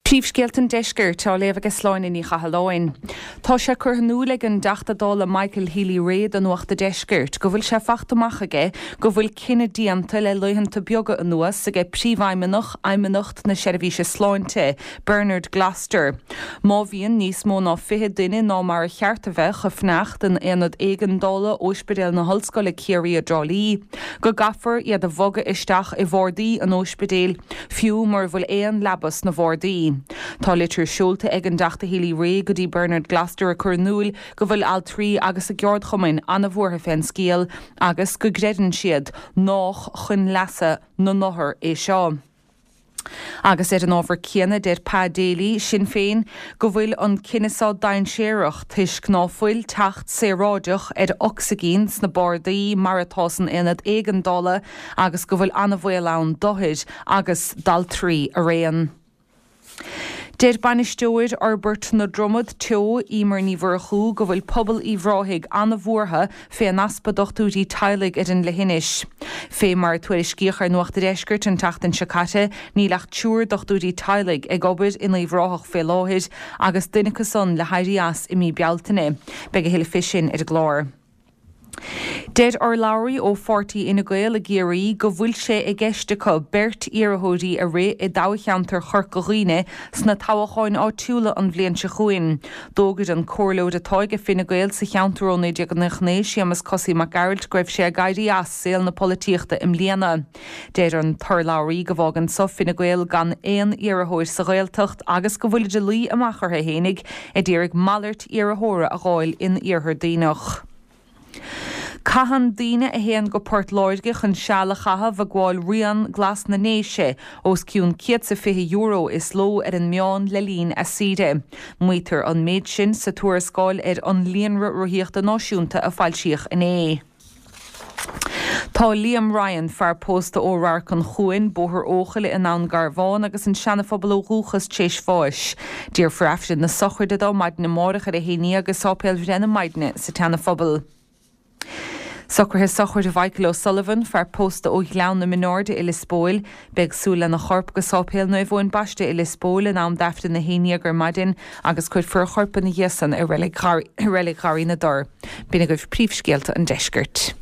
Príomhscéalta an Deiscirt á léamh ag Sláine Ní Chathalláin. Tá sé curtha in iúl ag an dTeachta Dála Michael Healy-Rae do Nuacht a' Deiscirt go bhfuil sé fachta amach aige go bhfuil cinneadh déanta le laethanta beaga anuas aige Príomhfheidhmeannach Fheidhmeannacht na Seirbhíse Sláinte, Bernard Gloster, má bhíonn níos mó ná 20 duine ná mar a cheart a bheith ag fanacht in Aonad Éigeandála Óispidéal na hOllscoile Ciarraí i dTrá Lí, go gcaithfear iad a bhogadh isteach i bhardaí an óispidéil. fiú mura bhfuil aon leaba sna bhardaí. Tá litir seolta ag an dTeachta Healy-Rae go dtí Bernard Gloster ag cur in iúil go bhfuil altraí agus a gceardchumainn an-bhuartha fén scéal agus go gcreideann siad nách chun leasa na n-othar é seo. Agus ar an ábhar céanna deir Pa Daly, Sinn Féin, go bhfuil an cinneadh so dainséarach toisc ná fuil teacht saoráideach ar ocsaigín sna bardaí mar atá san aonad éigeandála agus go bhfuil an-bhaol ann d'othair agus d'altraí araon. Deir Bainisteoir Fhorbairt na Dromad Teo, Emer Ní Mhurchú, go bhfuil pobal Uíbh Ráthaigh an-bhuartha fén easpa dochtúirí teaghlaigh ar an leithinis. Fé mar a tuairiscíodh ar Nuacht a' Deiscirt an tseachtain seo caite, níl ach triúr dochtúirí teaghlaigh ag obair in Uíbh Ráthach fé láthair agus duine acu san le héirí as i mí Bealtaine. Beidh a thuilleadh fé sin ar an gclár. Deir urlabhraí ó pháirtí Fhine Gael i gCiarraí go bhfuil sé i gceist acu beirt iarrthóirí a rith i dtoghcheantar Chorca Dhuibhne sna toghcháin áitiúla an bhliain seo chugainn. D'fhógair an comhairleoir atá ag Fine Gael sa cheantar ó 1999, Séamus Cosaí Mac Gearailt, go raibh sé ag éirí as saol na polaitíochta i mbliana. Deir an t-urlabhraí go bhfágann so Fine Gael gan aon iarrthóir sa Ghaeltacht agus go bhfuilid ag luí amach orthu fhéinig ag iarraidh malairt iarrthóra a dh'fháil in Iarthar Duibhneach. Caitheann daoine a théann go Port Láirge chun seal a chaitheamh ag gabháil Rian Glas na nDéise os cionn €120 is ló ar an meán le linn a saoire. Maítear an méid sin sa tuarascáil ar an Líonra Rothaíochta Náisiúnta a foilsíodh inné. Tá Liam Ryan, fear pósta ó Radharc an Chuain, Bóthar Eochaille i nDún Garbhán agus an Seanaphobal ó dhúchas, tréis bháis. Déarfar Aifreann na sochraide dó maidin amárach ar a 11 i Sáipéal Bhreith na Maidne sa tSeanaphobal. Socruithe sochraide Mhichael O'Sullivan, fear pósta ó Ghleann na Mionairde i Lios Póil. Beidh súil lena chorp go Sáipéal Naomh Eoin Baiste i Lios Póil in am d'Aifreann a 11 ar maidin agus cuirfear a chorp ina dhiaidh san i Reilig Gharraí na dTor. B'in agaibh príomhscéalta an deiscirt.